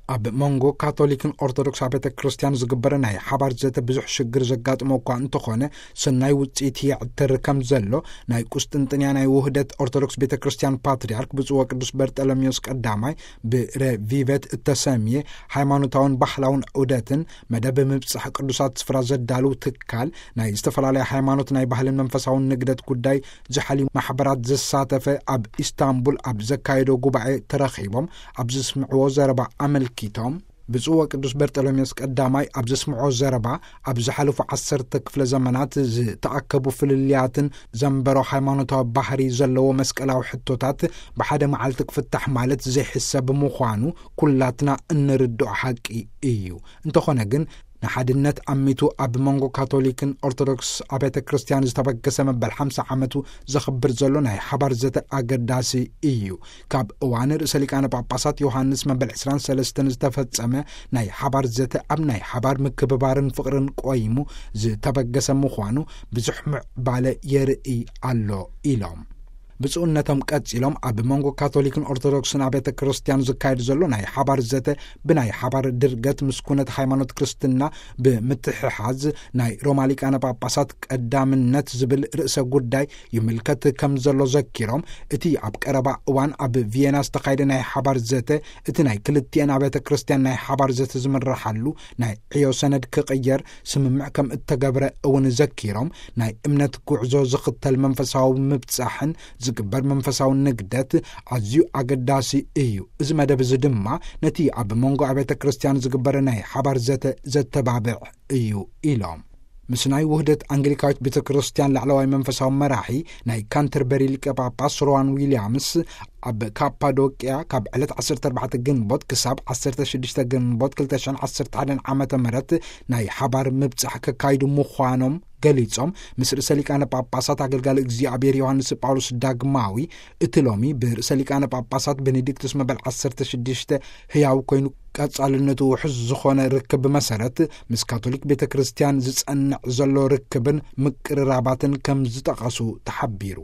ኣብ መንጎ ካቶሊክን ኦርቶዶክስ ቤተ ክርስቲያን ዝግበር ናይ ሓባር ዘተ ብዙሕ ሽግር ዘጋጥሞ እኳ እንተኾነ፣ ሰናይ ውጽኢት ይዕትር ከም ዘሎ ናይ ቁስጥንጥንያ ናይ ውህደት ኦርቶዶክስ ቤተ ክርስቲያን ፓትርያርክ ብፁዕ ወቅዱስ በርጠሎሜዎስ ቀዳማይ ብረቪቨት እተሰምየ ሃይማኖታውን ባህላውን ዑደትን መደብ ምብጻሕ ቅዱሳት ስፍራ ዘዳልው ትካል ናይ ዝተፈላለያ ሃይማኖት ናይ ባህልን መንፈሳውን ንግደት ጉዳይ ዝሓልዩ ማሕበራት ዘሳተፈ ኣብ ኢስታንቡል ኣብ ዘካየዶ ጉባኤ ተረኺቦም ኣብ ዘስምዕዎ ዘረባ ኣመልኪቶም፣ ብፁዕ ወቅዱስ በርጠሎሜዎስ ቀዳማይ ኣብ ዘስምዖ ዘረባ፣ ኣብ ዝሓለፉ ዓሰርተ ክፍለ ዘመናት ዝተኣከቡ ፍልልያትን ዘንበሮ ሃይማኖታዊ ባህሪ ዘለዎ መስቀላዊ ሕቶታት ብሓደ መዓልቲ ክፍታሕ ማለት ዘይሕሰብ ምዃኑ ኩላትና እንርድኦ ሓቂ እዩ። እንተኾነ ግን፣ ንሓድነት ኣሚቱ ኣብ መንጎ ካቶሊክን ኦርቶዶክስ ኣብያተ ክርስቲያን ዝተበገሰ መበል ሓምሳ ዓመቱ ዘኽብር ዘሎ ናይ ሓባር ዘተ ኣገዳሲ እዩ። ካብ እዋን ርእሰ ሊቃነ ጳጳሳት ዮሃንስ መበል ዕስራን ሰለስተን ዝተፈጸመ ናይ ሓባር ዘተ ኣብ ናይ ሓባር ምክብባርን ፍቕርን ቆይሙ ዝተበገሰ ምዃኑ ብዙሕ ምዕባለ የርኢ ኣሎ ኢሎም። ብፁዕነቶም ቀጺሎም፣ ኣብ መንጎ ካቶሊክን ኦርቶዶክስን ኣብያተ ክርስቲያን ዝካየድ ዘሎ ናይ ሓባር ዘተ ብናይ ሓባር ድርገት ምስ ኩነት ሃይማኖት ክርስትና ብምትሕሓዝ፣ ናይ ሮማ ሊቃነ ጳጳሳት ቀዳምነት ዝብል ርእሰ ጉዳይ ይምልከት ከም ዘሎ ዘኪሮም፣ እቲ ኣብ ቀረባ እዋን ኣብ ቪየና ዝተኻየደ ናይ ሓባር ዘተ፣ እቲ ናይ ክልቲኤን ኣብያተ ክርስቲያን ናይ ሓባር ዘተ ዝምረሓሉ ናይ ዕዮ ሰነድ ክቕየር ስምምዕ ከም እተገብረ እውን ዘኪሮም፣ ናይ እምነት ጉዕዞ ዝኽተል መንፈሳዊ ምብጻሕን ዝግበር መንፈሳዊ ንግደት ኣዝዩ ኣገዳሲ እዩ። እዚ መደብ እዚ ድማ ነቲ ኣብ መንጎ ኣብያተ ክርስቲያን ዝግበር ናይ ሓባር ዘተ ዘተባብዕ እዩ ኢሎም። ምስ ናይ ውህደት ኣንግሊካዊት ቤተ ክርስቲያን ላዕለዋይ መንፈሳዊ መራሒ ናይ ካንተርበሪ ሊቀ ጳጳስ ሮዋን ዊልያምስ ኣብ ካፓዶቅያ ካብ ዕለት ዓሰርተ ኣርባዕተ ግንቦት ክሳብ ዓሰርተ ሽዱሽተ ግንቦት ክልተ ሽሕን ዓሰርተ ሓደን ዓመተ ምህረት ናይ ሓባር ምብጻሕ ከካይዱ ምዃኖም ገሊጾም፣ ምስ ርእሰ ሊቃነ ጳጳሳት ኣገልጋሊ እግዚኣብሔር ዮሃንስ ጳውሎስ ዳግማዊ፣ እቲ ሎሚ ብርእሰ ሊቃነ ጳጳሳት ቤኔዲክቱስ መበል ዓሰርተ ሽዱሽተ ህያው ኮይኑ ቀጻልነቱ ውሑስ ዝኾነ ርክብ መሰረት፣ ምስ ካቶሊክ ቤተ ክርስቲያን ዝጸንዕ ዘሎ ርክብን ምቅርራባትን ከም ዝጠቐሱ ተሓቢሩ።